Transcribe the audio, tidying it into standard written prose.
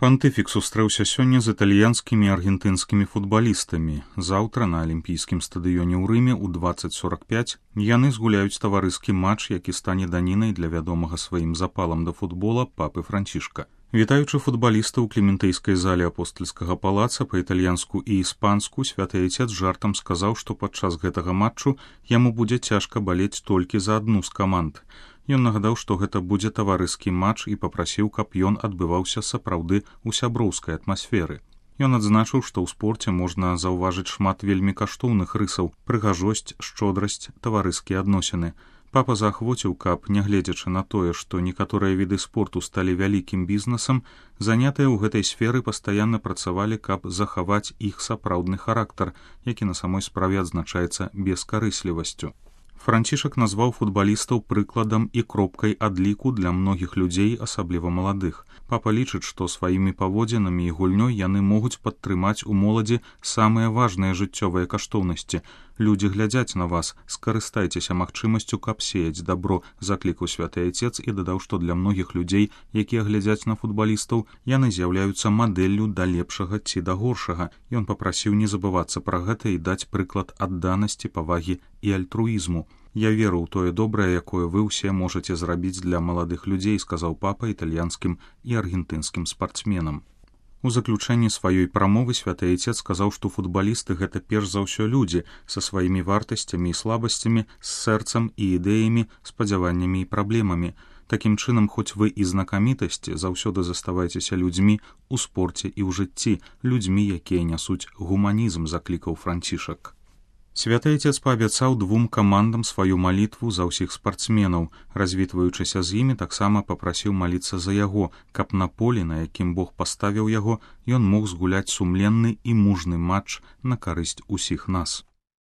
Пантыфік сустрэўся сёння з італьянскімі і аргентынскімі футбалістамі. Заўтра на алімпійскім стадыёне ў Рыме ў 20:45 яны згуляюць таварыскі матч, які стане данінай для вядомага сваім запалам да футбола папы Францішка. Вітаючы футбаліста ў клементыйскай зале апостальскага палаца па-італьянску і іспанску, святы айцец жартам сказаў, што падчас гэтага матчу яму будзе цяжка балець толькі за адну з каманд. Ён нагадаў, што гэта будзе таварыскі матч і папрасіў, каб ён адбываўся сапраўды ў сяброўскай атмасферы. Ён адзначыў, што ў спорце можна заўважыць шмат вельмі каштоўных рысаў: прыгажосць, шчодрасць, таварыскія адносіны. Папа заахвоціў, каб, нягледзячы на тое, што некаторыя віды спорту сталі вялікім бізнесам, занятыя ў гэтай сферы пастаянна працавалі, каб захаваць іх сапраўдны характар, які на самой справе адзначаецца бескарыслівасцю. Францішак назваў футбалістаў прыкладам і кропкай адліку для многіх людзей, асабліва маладых. Папа лічыць, што сваімі паводзінамі і гульнёй яны могуць падтрымаць у моладзі самыя важныя жыццёвыя каштоўнасці. Людзі глядзяць на вас, скарыстайцеся магчымасцю, каб сеяць дабро, заклікаў святы айцец і дадаў, што для многіх людзей, якія глядзяць на футбалістаў, яны з'яўляюцца мадэллю да лепшага ці да горшага. Ён папрасіў не забывацца пра гэта і даць прыклад адданасці, павагі і альтруізму. «Я веру ў тое добрае, якое вы ўсе можаце зрабіць для маладых людзей», сказаў папа італьянскім і аргентынскім спартсменам. У заключэнні сваёй прамовы святы айцец сказаў, што футбалісты гэта перш за ўсё людзі са сваімі вартасцямі і слабасцямі, з сэрцам і ідэямі, спадзяваннямі і праблемамі. Такім чынам, хоць вы і знакамітасці, заўсёды заставайцеся людзьмі у спорце і ў жыцці, людзьмі, якія нясуць гуманізм, заклікаў Францішак. Святы айцец паабяцаў двум камандам сваю малітву за ўсіх спартсменаў. Развітваючыся з імі, таксама папрасіў маліцца за яго, каб на полі, на якім Бог паставіў яго, ён мог згуляць сумленны і мужны матч на карысць усіх нас.